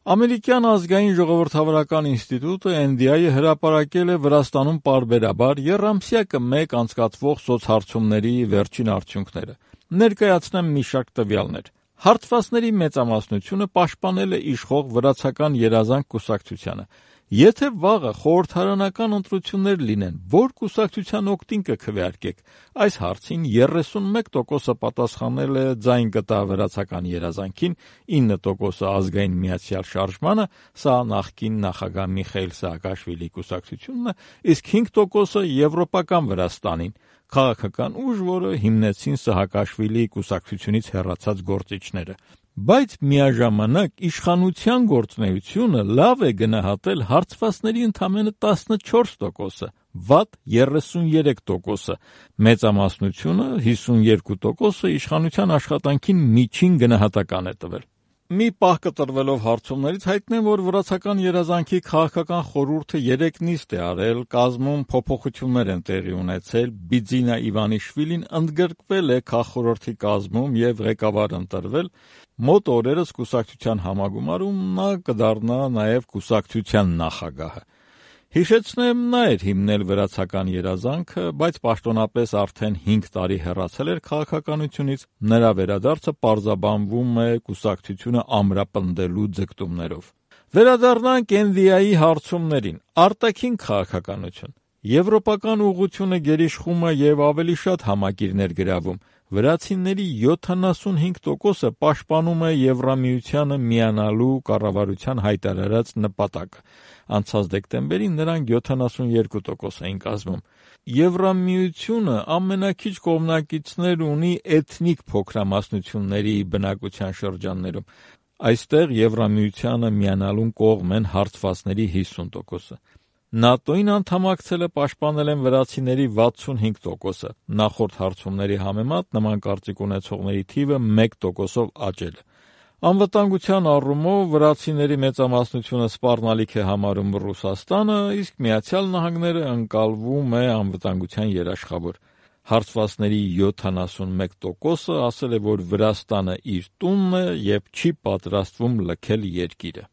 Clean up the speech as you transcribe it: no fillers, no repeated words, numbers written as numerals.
Ամերիկյան ազգային ժողովրդավարական ինստիտուտը NDI-ը հրապարակել է Վրաստանում պարբերաբար եռամսյակը մեկ անցկացվող սոցհարցումների վերջին արդյունքները։ Ներկայացնեմ մի շարք տվյալներ։ Հարթվածների մեծամասնությունը պաշտպանել է իշխող վրացական երազանք կուսակցությանը։ Եթե վաղը խորհրդարանական ընտրություններ լինեն, որ կուսակցության օգտին կքվեարկեք, այս հարցին 31% պատասխանել է ձայն կտա վրացական երազանքին, 9% ազգային միացյալ շարժմանը, սա նախկին նախագահ Միխայիլ Սաակաշվիլի կուսակցությունն է, իսկ 5% Եվրոպական Վրաստանին, քաղաքական ուժ, որը հիմնեցին Սահակաշվիլիի կուսակցությունից հեռացած գործիչները։ Բայց միաժամանակ իշխանության գործունեությունը լավ է գնահատել հարցվածների ընդամենը 14%, վատ 33%, մեծամասնությունը 52% իշխանության աշխատանքին միջին գնահատական է տվել։ Մի պահ կտրվելով հարցումներից հայտնեմ, որ վրացական երազանքի քաղաքական խորհուրդը 3 նիստ է արել, կազմում փոփոխություններ են տեղի ունեցել, Բիձինա Իվանիշվիլին ընդգրկվել է քաղխորհրդի կազմում և ղեկավար ընտրվել, մոտ օրերս կուսակցության համագումարում նա կդառնա նաև կուսակցության նախագահը։ Հիշեցնեմ, նա էր հիմնել վրացական երազանքը, բայց պաշտոնապես արդեն 5 տարի հեռացել էր քաղաքականությունից, նրա վերադարձը պարզաբանվում է կուսակցությունը ամրապնդելու ձգտումներով։ Վերադառնանք NDI-ի հարցումներին։ Արտաքին քաղաքականություն։ Եվրոպական ուղղությունը գերիշխում է և ավելի շատ համակիրներ գրավում։ Վրացիների 75%-ը պաշտպանում է Եվրամիությանը միանալու կառավարության հայտարարած նպատակը։ Անցած դեկտեմբերին նրանք 72% էին կազմում։ Եվրամիությունը ամենաքիչ կողմնակիցներ ունի էթնիկ փոքրամասնությունների բնակության շրջաններում։ Այստեղ Եվրամիությանը միանալուն կողմ են հարցվածների 50%-ը։ ՆԱՏՕ-ին անդամակցել է պաշտպանել են վրացիների 65%-ը, նախորդ հարցումների համեմատ նման կարծիք ունեցողների թիվը 1%-ով աճել է։ Անվտանգության առումով վրացիների մեծամասնությունը սպառնալիք է համարում Ռուսաստանը, իսկ Միացյալ Նահանգները ընկալվում է անվտանգության երաշխավոր։ Հարցվածների 71%-ը ասել է, որ Վրաստանը իր տունն է և չի պատրաստվում լքել երկիրը։